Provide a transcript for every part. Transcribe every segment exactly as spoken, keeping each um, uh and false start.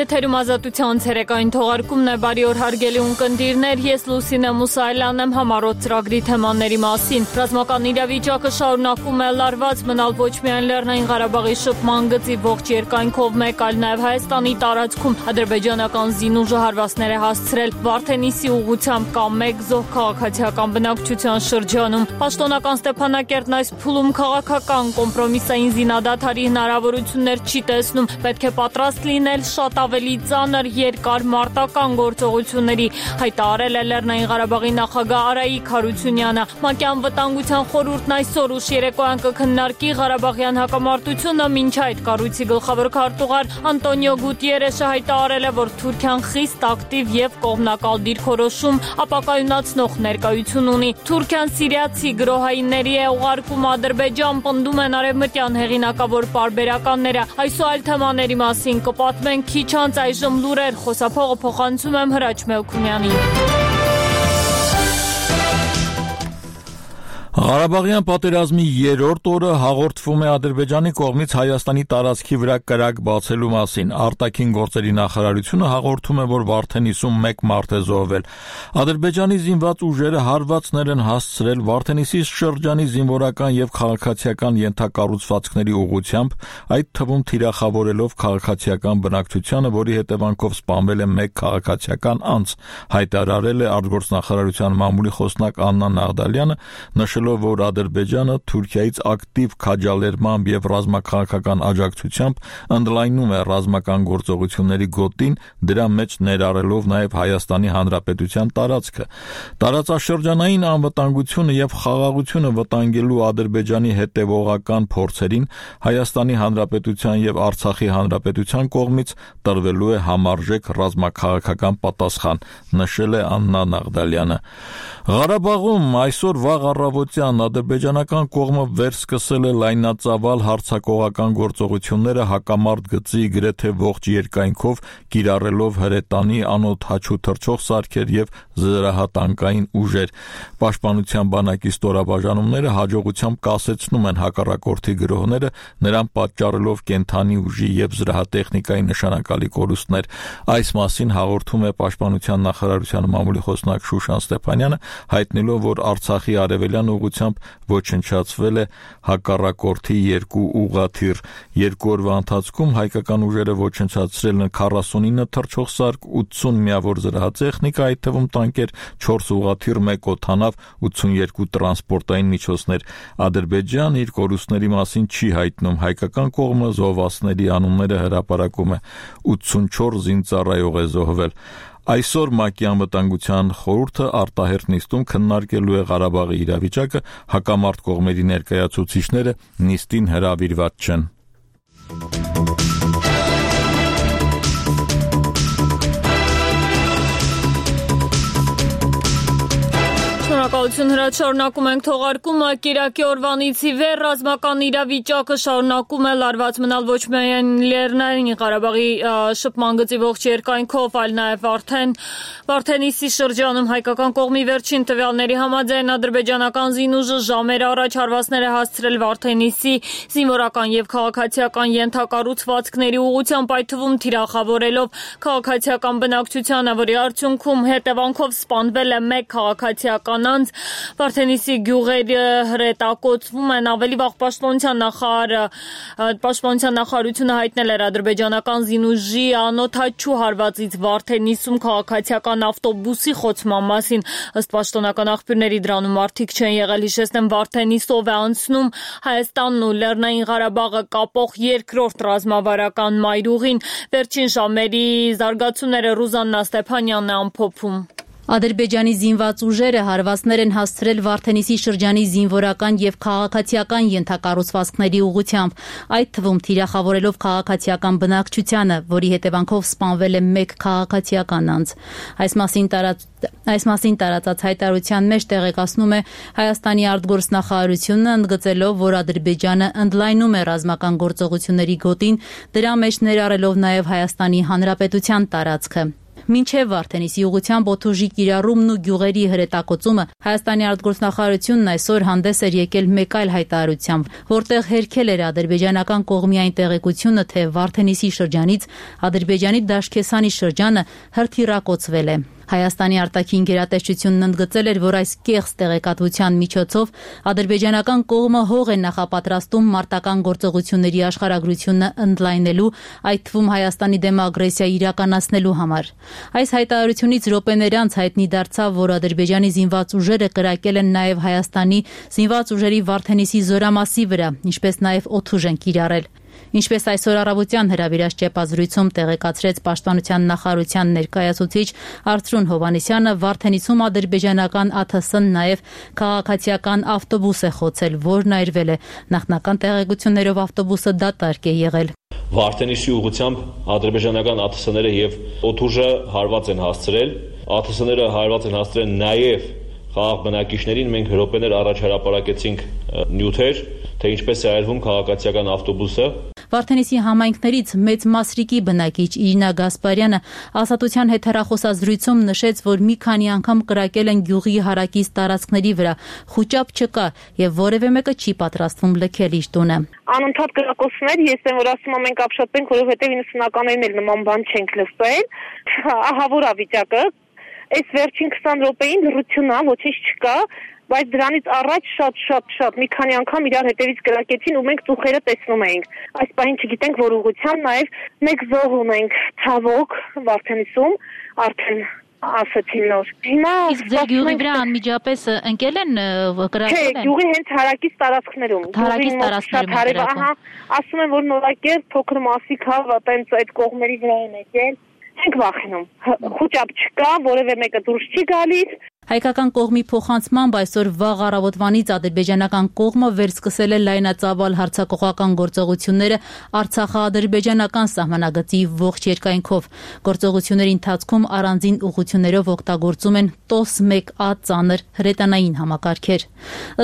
Եթերում ազատության ցերեկային թողարկումն է, բարի օր հարգելի ունկնդիրներ, ես Լուսինե Մուսայելյանն եմ, համառոտ ծրագրի թեմաների մասին։ Ռազմական իրավիճակը շարունակում է լարված մնալ ոչ միայն Լեռնային Ղարաբաղի շփման գծի ողջ երկայնքով, մեկ այլ նաև Հայաստանի տարածքում ադրբեջանական զինուժը հարվածներ է հասցրել Վարդենիսի ուղղությամբ կամ մեկ զոհ քաղաքացիական բնակչության շրջանում։ Պաշտոնական Ստեփանակերտն այս փուլում քաղաքական կոմպրոմիսային զինադադարի հնարավորություններ չի տեսնում, պետք է պատրաստ լինել շատ ավելի ծանր երկար մարտական գործողությունների, հայտարարել է Լեռնային Ղարաբաղի նախագահ Արայիկ Հարությունյանը։ ՄԱԿ-յան վտանգության խորհուրդն այսօր ուշ երեկոյան կքննարկի Ղարաբաղյան հակամարտությունը, մինչ այդ կառույցի գլխավոր քարտուղար Անտոնիո Գուտիերեշը հայտարարել է, որ Թուրքիան խիստ ակտիվ եւ կողմնակալ դիրքորոշում ապակայունացնող ներկայություն ունի։ Թուրքիան սիրիացի գրոհայինների է ուղարկում Ադրբեջան, պնդում են արևմտյան հեղինակավոր պարբերականները։ Այս ու այլ թեմաների մասին կպատմենք քիչ անց, այժմ լուրեր, խոսափողը փոխանցում եմ Հրաչ Մելքումյանին։ Ղարաբաղյան պատերազմի երրորդ օրը հաղորդվում է Ադրբեջանի կողմից Հայաստանի տարածքի վրա կրակ բացելու մասին։ Արտաքին գործերի նախարարությունը հաղորդում է, որ Վարդենիսում մեկ մարդ է զոհվել։ Ադրբեջանի զինված ուժերը հարվածներ են հասցրել Վարդենիսի շրջանի զինվորական եւ քաղաքացիական ենթակառուցվածքների ուղղությամբ, այդ թվում թիրախավորելով քաղաքացիական բնակչությանը, որի հետևանքով սպանվել է մեկ քաղաքացիական անձ, հայտարարել է արտգործնախարարության մամուլի խոսնակ Աննա Նաղդալյանը, նշելով, որ Ադրբեջանը Թուրքիայից ակտիվ քաջալերմամբ եւ ռազմաքաղաքական աջակցությամբ ընդլայնում է ռազմական գործողությունների գոտին, դրա մեջ ներառելով նաեւ Հայաստանի Հանրապետության տարածքը։ Տարածաշրջանային անվտանգությունը եւ խաղաղությունը վտանգելու Ադրբեջանի հետեւողական փորձերին Հայաստանի Հանրապետության եւ Արցախի Հանրապետության կողմից տրվելու է համարժեք ռազմաքաղաքական պատասխան, նշել է Աննա Նաղդալյանը։ Ղարաբաղում այսօր վաղ առավոտյան ադրբեջանական կողմը վերսկսել է լայնածավալ հարձակողական գործողությունները հակամարտ գծի գրեթե ողջ երկայնքով, կիրառելով հրետանի, անօդաչու թռչող սարքեր եւ զրահատանկային ուժեր։ Պաշտպանության բանակի ստորաբաժանումները հաջողությամբ կասեցնում են հակառակորդի գրոհները, նրան պատճառելով կենթանի ուժի եւ զրահատեխնիկայի նշանակալի կորուստներ։ Այս մասին հաղորդում է Պաշտպանության նախարարության մամուլի խոսնակ Շուշան Ստեփանյանը, հայտնելով, որ Արցախի արևելյան ուղղությամբ ոչնչացվել է հակառակորդի երկու ուղղաթիռ։ Երկու օրվա ընթացքում հայկական ուժերը ոչնչացրել են քառասունինը թռչող սարք, ութսուն միավոր զրահատեխնիկա, այդ թվում տանկեր, չորս ուղղաթիռ, մեկ օդանավ, ութսունյոթ տրանսպորտային միջոցներ։ Ադրբեջան իր կորուստների մասին չի հայտնում, հայկական կողմը զոհվածների անունները հրապարակում է։ ութսունչորս զինծառայող է զոհվել։ Այսօր ՄԱԿ-ի անվտանգության խորհուրդը արտահերթ նիստում քննարկելու է Ղարաբաղի իրավիճակը, հակամարտ կողմերի ներկայացուցիչները նիստին հրավիրված չեն։ Շնորհակալություն Հրաչ, շարունակում ենք թողարկումը։ Կիրակի օրվանից ի վեր ռազմական իրավիճակը շարունակում է լարված մնալ ոչ միայն Լեռնային Ղարաբաղի շփման գծի ողջ երկայնքով, այլ նաև արդեն Վարդենիսի շրջանում հայկական կողմի վերջին տվյալների համաձայն ադրբեջանական զինուժը ժամեր առաջ հարվածներ է հասցրել Վարդենիսի զինվորական եւ քաղաքացիական ենթակառուցվածքների ուղղությամբ, այդ թվում թիրախավորելով քաղաքացիական բնակչությանը, որի արդյունքում հետևանքով սպանվել է մեկ քաղաքացիական անձ։ Վարդենիսի գյուղերը հրետակոծվում են, ավելի վաղ պաշտպանության նախարարը պաշտպանության նախարարությունը հայտնել էր ադրբեջանական զինուժի անօդաչու հարվածից Վարդենիսում քաղաքացիական ավտոբուսի խոցման մասին։ Ըստ պաշտոնական աղբյուրների դրանում մարդիկ չեն եղել, հիշեցնեմ, Վարդենիսով է անցնում Հայաստանն ու Լեռնային Ղարաբաղը կապող երկրորդ ռազմավարական մայրուղին։ Վերջին ժամերի զարգացումները Ռուզաննա Ստեփանյանն է ամփոփում։ Ադրբեջանի զինված ուժերը հարվածներ են հասցրել Վարդենիսի շրջանի զինվորական եւ քաղաքացիական ենթակառուցվածքների ուղղությամբ, այդ թվում թիրախավորելով քաղաքացիական բնակչությանը, որի հետևանքով սպանվել է մեկ քաղաքացիական անձ։ Այս մասին տարած Այս մասին տարածած հայտարարության մեջ տեղեկացնում է Հայաստանի արտգործնախարարությունը, ընդգծելով, որ Ադրբեջանը ընդլայնում է ռազմական գործողությունների գոտին, դրա մեջ ներառելով նաև Հայաստանի Հանրապետության տարածքը։ Մինչև Վարդենիսի ուղղությամբ օդուժի կիրառումն ու գյուղերի հրետակոծումը Հայաստանի արտգործնախարարությունն այսօր հանդես էր եկել մեկ այլ հայտարարությամբ, որտեղ հերքել էր ադրբեջանական կողմի այն տեղեկությունը, թե Վարդենիսի շրջանից Ադրբեջանի Դաշկեսանի շրջանը հրթիռակոծվել է։ Հայաստանի արտաքին գերատեսչությունն ընդգծել էր, որ այս կեղծ տեղեկատվության միջոցով ադրբեջանական կողմը հող է նախապատրաստում մարտական գործողությունների աշխարհագրությունը ընդլայնելու, այդ թվում Հայաստանի դեմ ագրեսիա իրականացնելու համար։ Այս հայտարարությունից րոպեներ անց հայտնի դարձավ, որ Ադրբեջանի զինված ուժերը կրակել են նաև Հայաստանի զինված ուժերի Վարդենիսի զորամասի վրա, ինչպես նաև օդուժ են կիրառել։ Ինչպես այսօր առավոտյան հրավիրած ճեպազրույցում տեղեկացրեց Պաշտպանության նախարարության ներկայացուցիչ Արծրուն Հովհաննիսյանը, Վարդենիսում ադրբեջանական ԱԹՍ-ն նաև քաղաքացիական ավտոբուս է խոցել, որն այրվել է։ Նախնական տեղեկություններով ավտոբուսը դատարկ է եղել։ Վարդենիսի ուղղությամբ ադրբեջանական ԱԹՍ-ները եւ օդուժը հարված են հասցրել։ ԱԹՍ-ները հարված են հասցրել նաև խաղաղ բնակիչներին, մենք րոպեներ առաջ հրապարակեցինք նյութեր, թե ինչպես է այրվում քաղաքացիական ավտոբուսը։ Վարդենիսի համայնքներից մեծ Մասրիկի բնակիչ Իրինա Գասպարյանը Ազատության հետ հեռախոսազրույցում նշեց, որ մի քանի անգամ կրակել են գյուղի հարակից տարածքների վրա, խուճապ չկա եւ որևէ մեկը չի պատրաստվում լքել իր տունը։ Անընդհատ կրակոցներ, ես եմ որ ասում եմ մենք ապշտենք, որովհետեւ իննսունականներին էլ նման բան չենք լսել։ Ահա որ է վիճակը։ Այս վերջին քսան րոպեին լռություն է, ոչինչ չկա, բայց դրանից առաջ շատ շատ շատ մի քանի անգամ իրար հետևից կրակեցին ու մենք ծուխերը տեսնում էինք։ Այս պահին չգիտենք որ ուղղությամբ նաև մեկ զոհ ունենք ցավոք Վարդենիսում, արդեն ասացին նոր։ Հիմա իսկ ձեր գյուղի վրա անմիջապես ընկել են կրակել են։ Չէ, գյուղի հենց հարակից տարածքներում։ Հարակից տարածքներում։ Ահա, ասում են որ նորակեր փոքր մասիկ հա, այտենց այդ կողմերի վրա են եկել։ Ենք վախենում, խուճապ չկա, որևէ մեկը դուրս չի գալիս։ Հայկական կողմի փոխանցմամբ այսօր վաղ առավոտվանից ադրբեջանական կողմը վերսկսել է լայնածավալ հարձակողական գործողությունները Արցախա-ադրբեջանական սահմանագծի ողջ երկայնքով։ Գործողությունների ընթացքում առանձին ուղղություններով օգտագործում են տոս մեկ A ծանր հրետանային համակարգեր։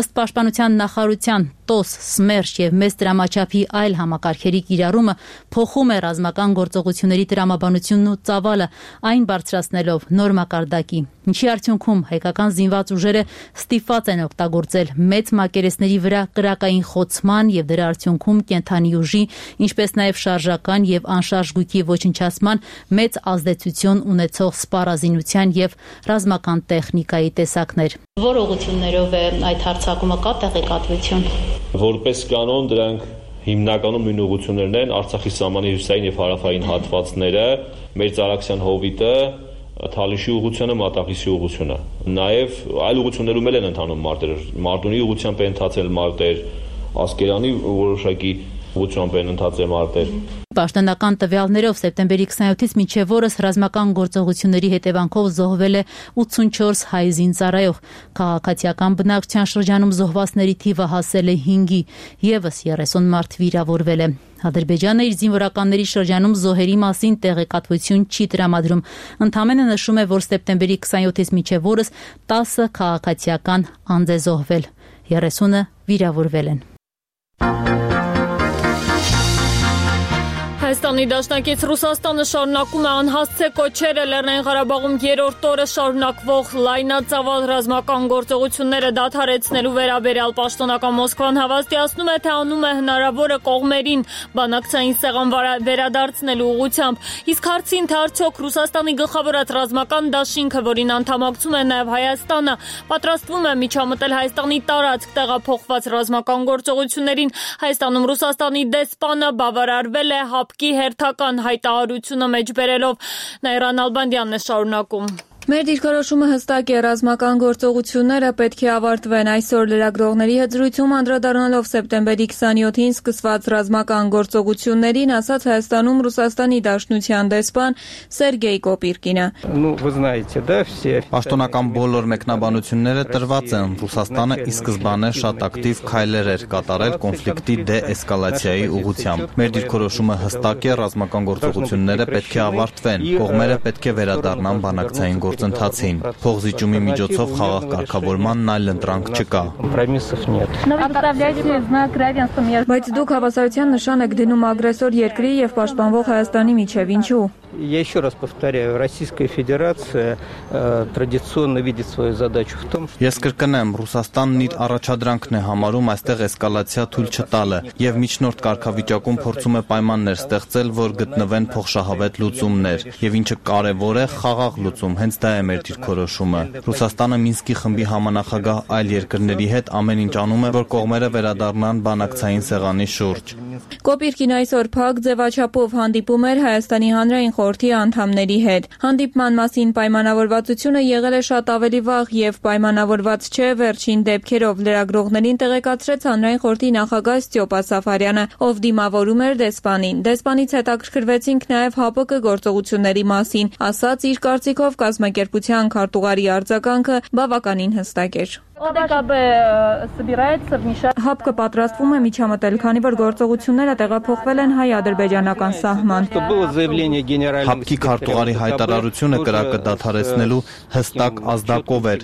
Ըստ Պաշտպանության նախարարության տոս, Սմերշ եւ մեծ դրամաչափի այլ համակարգերի կիրառումը փոխում է ռազմական գործողությունների տրամաբանությունն ու ծավալը, այն բարձրացնելով նոր մակարդակի, ինչի արդյունքում հայկական զինված ուժերը ստիպված են օգտագործել մեծ մակերեսների վրա կրակային խոցման եւ դրա արդյունքում կենթանի ուժի, ինչպես նաեւ շարժական եւ անշարժ գույքի ոչնչացման մեծ ազդեցություն ունեցող սպառազինության եւ ռազմական տեխնիկայի տեսակներ։ Որ ուղղություններով է այդ հարձակումը կա տեղեկատվություն։ Որպես կանոն դրանք հիմնականում նույն ուղղություններն են Արցախի սահմանի հյուսիսային եւ հարավային հատվածները, մեր Ծարաքսյան հովիտը, Թալիշի ուղղությունը, Մատաղիսի ուղղությունը։ Նաեւ այլ ուղղություններում էլ են ընթանում մարտեր, Մարտունի ուղղությամբ են ընթացել մարտեր, Ասկերանի որոշակի ուղղությամբ են ընթացել մարտեր։ Պաշտոնական տվյալներով սեպտեմբերի քսաներկուից մինչև օրս ռազմական գործողությունների հետևանքով զոհվել է ութսունչորս հայ զինծառայող։ Քաղաքացիական բնակչության շրջանում զոհվածների թիվը հասել է հինգի, եւս երեսուն մարդ վիրավորվել է։ Ադրբեջանը իր զինվորականների շրջանում զոհերի մասին տեղեկատվություն չի տրամադրում։ Ընդամենը նշում է, որ սեպտեմբերի քսաներկուից մինչև օրս տասը քաղաքացիական անձ է զոհվել, երեսունը վիրավորվել են։ Հայաստանի Դաշնակից Ռուսաստանը շարունակում է անհասցե կոչերը Լեռնային Ղարաբաղում երրորդ օրը շարունակվող լայնածավալ ռազմական գործողությունները դադարեցնելու վերաբերյալ պաշտոնական Մոսկվան հավաստիացնում է, թե անում է հնարավորը կողմերին բանակցային սեղան վերադարձնելու ուղղությամբ։ Իսկ հարցին, թե արդյոք Ռուսաստանի գլխավորած ռազմական դաշինքը, որին անդամակցում է նաև Հայաստանը, պատրաստվում է միջամտել Հայաստանի տարածք տեղափոխված ռազմական գործողություններին, Հայաստանում Ռուսաստանի դեսպանը բավարարվել է հապկի հերթական հայտարարությունը մեջբերելով։ Նաիրա Նալբանդյանն է շարունակում։ Մեր դիրքորոշումը հստակ է, ռազմական գործողությունները պետք է ավարտվեն։ Այսօր լրագրողների հետ զրույցում անդրադառնալով սեպտեմբերի քսաներկուին սկսված ռազմական գործողություններին, ասաց Հայաստանում Ռուսաստանի Դաշնության դեսպան Սերգեյ Կոպիրկինը։ Պաշտոնական բոլոր մեկնաբանությունները տրված են։ Ռուսաստանը ի սկզբանե շատ ակտիվ քայլեր էր կատարել կոնֆլիկտի դե-էսկալացիայի ուղղությամբ։ Մեր դիրքորոշումը հստակ է, ռազմական գործողությունները պետք է ավարտվեն։ Կողմերը պետք է վերադառնան բանակցային գործընթացին։ Փոխզիջումի միջոցով խաղաղ կարգավորմանն այլ ընտրանք չկա։ Բայց դուք հավասարության նշան եք դնում ագրեսոր երկրի եւ պաշտպանվող Հայաստանի միջև, ինչու՞։ Я еще раз повторяю, Российская Федерация традиционно видит свою задачу в том, что... Ես կրկնեմ, Ռուսաստանն իր առաջադրանքն է համարում այստեղ էսկալացիա թույլ չտալը եւ միջնորդ կարգավիճակում փորձում է պայմաններ ստեղծել, որ գտնվեն փոխշահավետ լուծումներ եւ ինչը կարեւոր է, խաղաղ լուծում, հենց դա է մեր դիրքորոշումը։ Ռուսաստանը Մինսկի խմբի համանախագահ այլ երկրների հետ ամեն ինչ անում է, որ կողմերը վերադառնան բանակցային սեղանի շուրջ։ Կոպիրկին այսօր փակ ձևաչափով հանդիպում էր Հայաստանի հանրային խորհրդի անդամների հետ։ Հանդիպման մասին պայմանավորվածությունը եղել է շատ ավելի վաղ եւ պայմանավորված չէ վերջին դեպքերով, լրագրողներին տեղեկացրեց հանրային խորհրդի նախագահ Ստյոպա Սաֆարյանը, ով դիմավորում էր դեսպանին։ Դեսպանից հետաքրքրվեցինք նաեւ ՀԱՊԿ գործողությունների մասին, ասաց իր կարծիքով կազմակերպության քարտուղարի արձագանքը բավականին հստակ էր։ ՀԱՊԿ պատրաստվում է միջամտել, քանի որ գործողությունները տեղափոխվել են հայ-ադրբեջանական սահման։ ՀԱՊԿ-ի քարտուղարի հայտարարությունը կրակը դադարեցնելու հստակ ազդակով էր։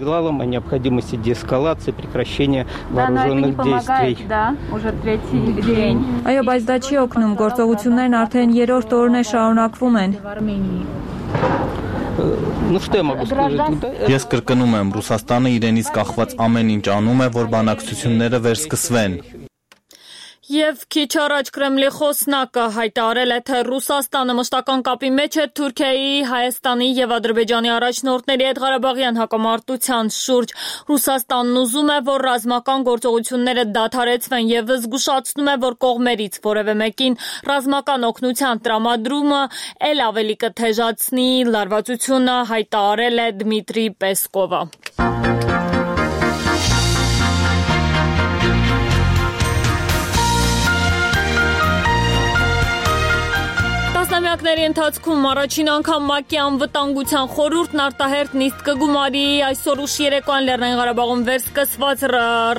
Այո, բայց դա չի օգնում, գործողություններն արդեն երրորդ օրն է շարունակվում են։ Ես կրկնում եմ, Ռուսաստանը իրենից կախված ամեն ինչ անում է, որ բանակցությունները վերսկսվեն։ Եվ քիչ առաջ Կրեմլի խոսնակը հայտարարել է, թե Ռուսաստանը մշտական կապի մեջ է Թուրքիայի, Հայաստանի եւ Ադրբեջանի առաջնորդների հետ Ղարաբաղյան հակամարտության շուրջ։ Ռուսաստանն ուզում է, որ ռազմական գործողությունները դադարեցվեն եւ զգուշացնում է, որ կողմերից որևէ մեկին ռազմական օգնության տրամադրումը ել ավելի կթեժացնի լարվածությունը, հայտարարել է Դմիտրի Պեսկովը։ Տասնամյակների ընթացքում առաջին անգամ ՄԱԿ-ի անվտանգության խորհուրդն արտահերթ նիստ կգումարի այսօր ուշ երեկոյան Լեռնային Ղարաբաղում վերսկսված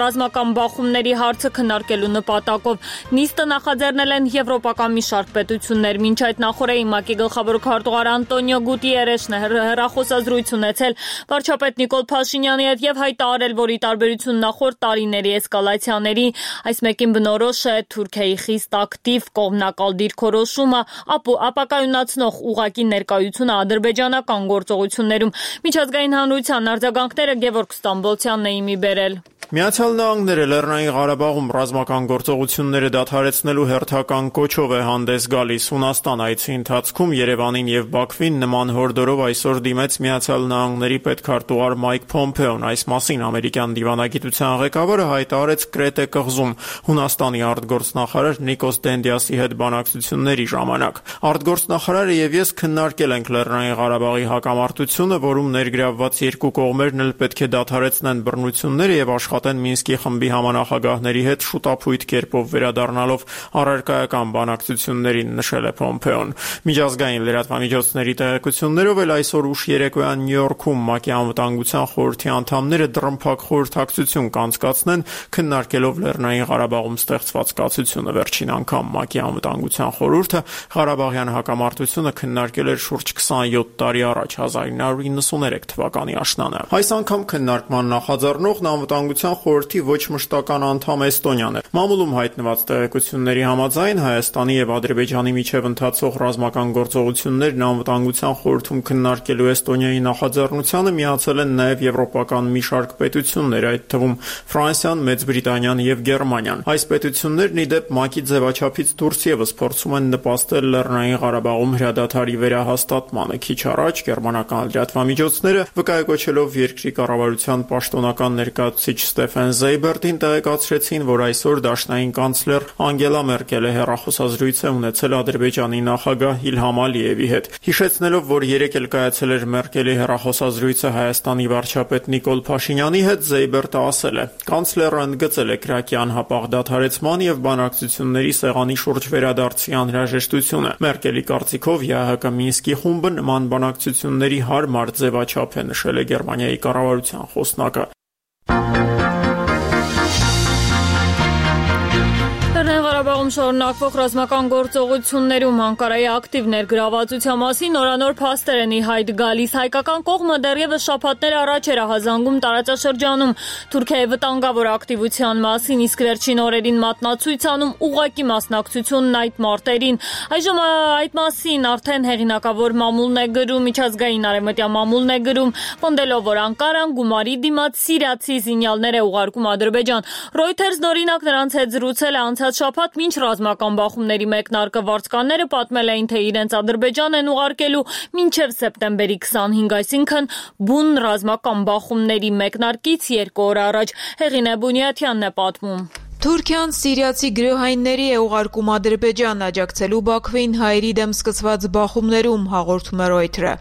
ռազմական բախումների հարցը քննարկելու նպատակով։ Նիստը նախաձեռնել են եվրոպական մի շարք պետություններ։ Մինչ այդ նախորդին ՄԱԿ-ի գլխավոր քարտուղար Անտոնիո Գուտիերեշն է հեռախոսազրույց ունեցել վարչապետ Նիկոլ Փաշինյանի հետ եւ հայտարարել, որ ի տարբերություն նախորդ տարիների էսկալացիաների, այս մեկին բնորոշ է Թուրքիայի խիստ ակտիվ կողմնակալ դիրքորոշումը, ապակայունացնող ուղղակի ներկայությունը ադրբեջանական գործողություններում։ Միջազգային հանրության արձագանքները Գևորգ Ստամբոլցյանն է իմի բերել։ Միացյալ Նահանգները Լեռնային Ղարաբաղում ռազմական գործողությունները դադարեցնելու հերթական կոչով է հանդես գալիս։ Հունաստան այցի ընթացքում Երևանին եւ Բաքվին նման հորդորով այսօր դիմեց Միացյալ Նահանգների պետքարտուղար Մայք Փոմփեոն։ Այս մասին ամերիկյան դիվանագիտության ղեկավարը հայտարարեց Կրետե կղզում Հունաստանի արտգործնախարար Նիկոս Դենդիասի հետ բանակցությունների ժամանակ։ Արտգործնախարարը եւ ես քննարկել ենք Լեռնային Ղարաբաղի հակամարտությունը, որում ներգրավված երկու կողմերն էլ պետք է դադարեցնեն բռնությունները եւ աշխատեն Մինսկի խմբի համանախագահների հետ շուտապույտ կերպով վերադառնալով առարկայական բանակցություններին, նշել է Փոմփեոն։ Միջազգային լրատվամիջոցների տեղեկություններով էլ այսօր ուշ երեկոյան Նյու Յորքում ՄԱԿ-ի անվտանգության խորհրդի անդամները դռնփակ խորհրդակցություն կանցկացնեն, քննարկելով Լեռնային Ղարաբաղում ստեղծված կացությունը։ Վերջին անգամ ՄԱԿ-ի անվտանգության խորհուրդը Ղարաբաղյան հակամարտությունը քննարկել էր շուրջ քսանյոթ տարի առաջ, հազար ինը հարյուր նվաթ թվականի աշնանը։ Այս անգամ քննարկման նախաձեռնողն անվտանգության խորհրդի ոչ մշտական անդամ Էստոնիան է։ Մամուլում հայտնված տեղեկությունների համաձայն Հայաստանի եւ Ադրբեջանի միջև ընթացող ռազմական գործողություններն անվտանգության խորհրդում քննարկելու Էստոնիայի նախաձեռնությանը միացել են նաեւ եվրոպական մի շարք պետություններ, այդ թվում Ֆրանսիան, Մեծ Բրիտանիան եւ Գերմանիան։ Այս պետություններն ի դեպ ՄԱԿ-ի ձևաչափից դուրս եւս փորձում են նպաստել Լեռնային Ղարաբաղում հրադադարի վերահաստատմանը։ Քիչ առաջ գերմանական լրատվամիջոցները վկայակոչելով երկրի կառավարության պաշտոնական ներկայացուցիչ Ստեֆեն Զեյբերտին տեղեկացրեցին, որ այսօր դաշնային կանցլեր Անգելա Մերկելը հեռախոսազրույց է ունեցել Ադրբեջանի նախագահ Իլհամ Ալիևի հետ։ Հիշեցնելով, որ երեկ էլ կայացել էր Մերկելի հեռախոսազրույցը Հայաստանի վարչապետ Նիկոլ Փաշինյանի հետ, Զեյբերտը ասել է. «Կանցլերը ընդգծել է Կրակի անհապաղ դադարեցման եւ բանակցությունների սեղանի շուրջ վերադարձի անհրաժեշտությունը։ Մերկելի կարծիքով ԵԱՀԿ Մինսկի խումբը նման բանակցությունների հարմար ձևաչափ է», նշել է Գերմանիայի կառավարության խոսնակը։ Ադրբեջանում շարունակվող ռազմական գործողություններում Անկարայի ակտիվ ներգրավվածության մասին նորանոր փաստեր են ի հայտ գալիս։ Հայկական կողմը դեռևս շաբաթներ առաջ էր ահազանգում տարածաշրջանում Թուրքիայի վտանգավոր ակտիվության մասին, իսկ վերջին օրերին մատնացույց անում ուղղակի մասնակցությունն այդ մարտերին։ Այժմ այդ մասին արդեն հեղինակավոր մամուլն է գրում, միջազգային արևմտյան մամուլն է գրում, պնդելով, որ Անկարան գումարի դիմաց սիրիացի զինյալներ է ուղարկում Ադրբեջան։ Reuters-ն օրինակ նրանց հետ զրուցել է անցած շաբաթ, մինչ ռազմական բախումների մեկնարկը վարձկանները պատմել էին, թե իրենց Ադրբեջան են ուղարկելու մինչև սեպտեմբերի քսանհինգ, այսինքն բուն ռազմական բախումների մեկնարկից երկու օր առաջ։ Հեղինե Բունյաթյանն է պատմում։ Թուրքիան սիրիացի գրոհայինների է ուղարկում Ադրբեջան աջակցելու Բաքվին հայերի դեմ սկսված բախումներում, հաղորդում է Reuters-ը։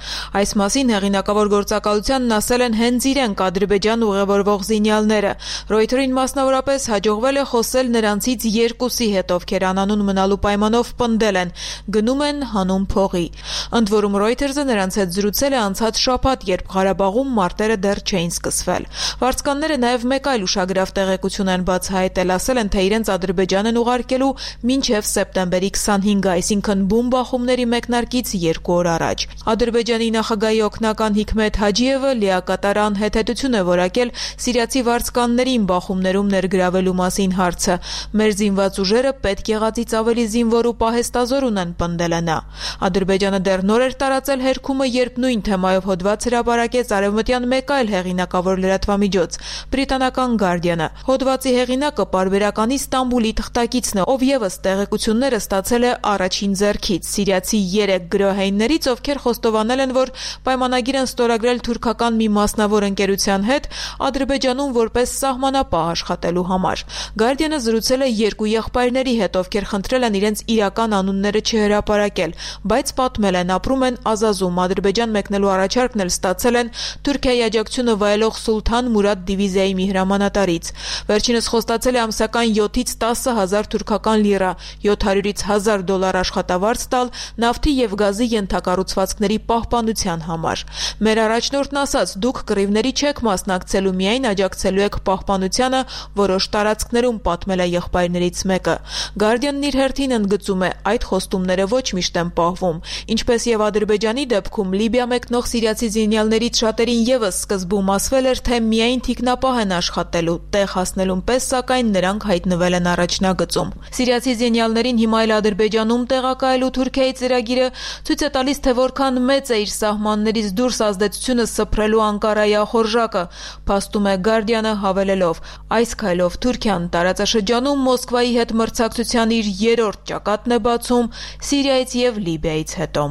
Այս մասին հեղինակավոր գործակալությանն ասել են հենց իրենք Ադրբեջան ուղևորվող զինյալները։ Reuters-ին մասնավորապես հաջողվել է խոսել նրանցից երկուսի հետ, ովքեր անանուն մնալու պայմանով պնդել են, գնում են հանուն փողի։ Ընդ որում Reuters-ը նրանց հետ զրուցել է անցած շաբաթ, երբ Ղարաբաղում մարտերը դեռ չէին սկսվել։ Վարձկանները նաև մեկ այլ ուշագրավ տեղեկություն են բացահայտել, ասել են, թե իրենց Ադրբեջան են ուղարկելու մինչև սեպտեմբերի քսանհինգը, այսինքն բուն բախումների մեկնարկից երկու օր առաջ։ Ադրբեջանի նախագահի օգնական Հիկմետ Հաջիևը լիակատար անհետեցություն է որակել սիրիացի վարձկաններին բախումներում ներգրավելու մասին հարցը։ Մեր զինված ուժերը պետք եղածից ավելի զինվոր ու պահեստազոր ունեն, պնդել է նա։ Ադրբեջանը դեռ նոր էր տարածել հերքումը, երբ նույն թեմայով հոդված հրապարակեց արևմտյան մեկ այլ հեղինակավոր լրատվամիջոց՝ բրիտանական Guardian-ը։ Հոդվածի հեղինակը Պարբերականի Ստամբուլի թղթակիցն է, ով ևս տեղեկությունները ստացել է առաջին ձեռքից սիրիացի երեք գրոհայիններից, ովքեր խոստովանել են, որ պայմանագիր են ստորագրել թուրքական մի մասնավոր ընկերության հետ Ադրբեջանում որպես սահմանապահ աշխատելու համար։ Guardian-ը զրուցել է երկու եղբայրների հետ, ովքեր խնդրել են իրենց իրական անունները չհրապարակել, բայց պատմել են, ապրում են Ազազում, Ադրբեջան մեկնելու առաջարկն էլ ստացել են Թուրքիայի աջակցությունը վայելող Սուլթան Մուրադ դիվիզիայի մի հրամանատարից։ Վերջինս խոստացել է ամսական յոթից տասը հազար թուրքական լիրա, յոթ հարյուրից հազար դոլար աշխատավարձ տալ նավթի եւ գազի ենթակառուցվածքների պահպանության համար։ Մեր առաջնորդն ասաց, դուք կռիվների չեք մասնակցելու, միայն աջակցելու եք պահպանությանը որոշ տարածքներում, պատմել է եղբայրներից մեկը։ Guardian-ն իր հերթին ընդգծում է, այդ խոստումները ոչ միշտ են պահվում։ Ինչպես եւ Ադրբեջանի դեպքում, Լիբիա մեկնող սիրիացի զինյալներից շատերին ևս սկզբում ասվել էր, թե միայն թիկնապահ են աշխատելու, տեղ հասնելուն պես, սակայն նրանք հայտնվել են առաջնագծում։ Սիրիացի զինյալներին հիմա էլ Ադրբեջանում տեղակայելու Թուրքիայի ծրագիրը ցույց է տալիս, թե որքան մեծ է իր սահմաններից դուրս ազդեցությունը սփռելու Անկարայի ախորժակը, փաստում է Guardian-ը հավելելով. այս քայլով Թուրքիան տարածաշրջանում Մոսկվայի հետ մրցակցության իր երրորդ ճակատն է բացում Սիրիայից եւ Լիբիայից հետո։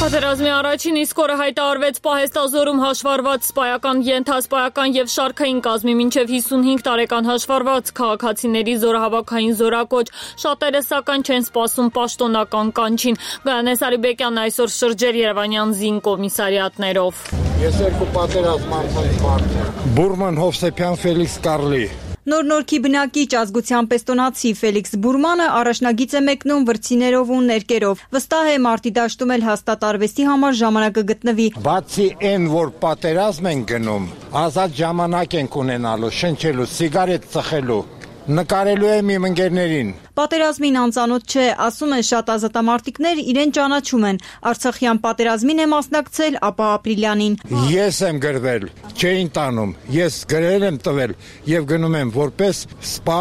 Պատերազմի առաջին իսկ օրը հայտարարվեց պահեստազորում հաշվառված սպայական, ենթասպայական եւ շարքային կազմի մինչեւ հիսունհինգ տարեկան հաշվառված քաղաքացիների զորահավաքային զորակոչ։ Շատերը սակայն չեն սպասում պաշտոնական կանչին։ Գայանես Արիբեկյանն այսօր շրջեր Երևանյան զին կոմիսարիատներով։ Ես երկու պատերազմ անցած մարդ եմ։ Բուրման Հովսեփյան Ֆելիքս Կարլի։ Նոր-նորքի բնակիչ ազգությամբ էստոնացի Ֆելիքս Բուրմանը առաջնագիծ է մեկնում վրցիներով ու ներկերով։ Վստահ է մարտի դաշտում էլ հաստատ արվեստի համար ժամանակ կգտնվի։ Բացի այն, որ պատերազմ են գնում, ազատ ժամանակ ենք ունենալու, շնչելու, սիգարետ ծխելու, նկարելու եմ իմ ընկերներին։ Պատերազմին անծանոթ չէ, ասում են շատ ազատամարտիկներ իրեն ճանաչում են։ Արցախյան պատերազմին է մասնակցել, ապա ապրիլյանին։ Ես եմ գրվել, չէին տանում, ես գրել եմ տվել եւ գնում եմ որպես սպա։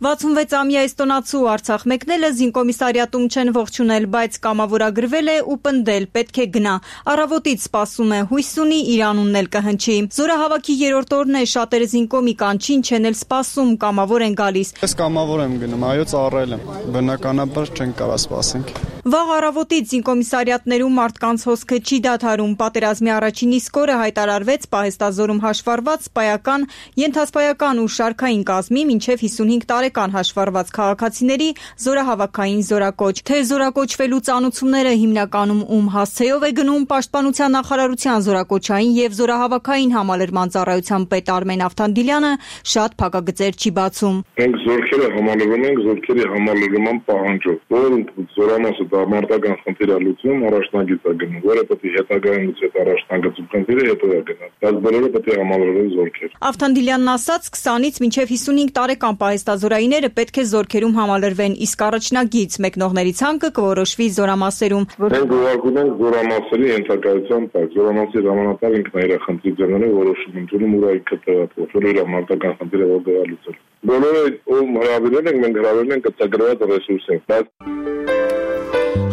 վաթսունվեց-ամյա էստոնացու Արցախ մեկնելը զինկոմիսարիատում չեն ողջունել, բայց կամավորագրվել է ու պնդել, պետք է գնա։ Առավոտից սպասում է, հույս ունի իր անունն էլ կհնչի։ Զորահավաքի երրորդ օրն է, շատերը զինկոմի կանչին չեն էլ սպասում, կամավոր են գալիս։ Ես կամավոր եմ գնում, այո, ծառայել եմ, բնականաբար չեն կարա սպասենք։ Վաղ առավոտից զինկոմիսարիատներում մարդկանց հոսքը չի դադարում։ Պատերազմի առաջին իսկ օրը հայտարարվեց պահեստազորում հաշվառված սպայական, ենթասպայական ու շարքային կազմի մինչև հիսունհինգ տարեկան հաշվառված քաղաքացիների զորահավաքային զորակոչ։ Թե զորակոչվելու ծանուցումները հիմնականում ում հասցեով է գնում, Պաշտպանության նախարարության զորակոչային եւ զորահավաքային համալրման ծառայության պետ Արմեն Ավթանդիլյանը շատ փակագծեր չի բացում։ Մենք զորքերը համալրում ենք զորքերի համալրման պահանջով, որ զորամասը մարտական խնդիրը լուծում, առաջնագիծ է գնում, որը պետք է հետագայում լուծի այդ առաջնագծում խնդիրը հետո է գնա։ Բայց բոլորը պետք է համալրվեն զորքեր։ Ավթանդիլյանն ասաց, քսանից մինչև հիսունհինգ տարեկան պահեստազորայինները պետք է զորքերում համալրվեն, իսկ առաջնագիծ մեկնողների ցանկը կորոշվի զորամասերում։ Մենք ուղարկում ենք զորամասերի ենթակայության տակ։ Զորամասի ժամանակալ ինքն իր խնդրի ձեռները որոշում ընդունում ուր այլ կտեղափոխել իր մարտական խնդիրը որտեղ լուծել։ Բոլորը ում հրավիրել ենք, մենք հրավիրել ենք կցագրված ռեսուրսին։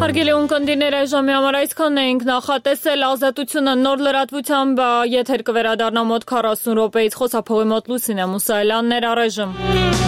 Հարգելի ունկնդիրներ, այժմի համար այսքանն էինք նախատեսել։ Ազատությունը նոր լրատվությամբ եթեր կվերադառնա մոտ քառասուն րոպեից, խոսափողի մոտ Լուսինե Մուսայելյանն էր, առայժմ։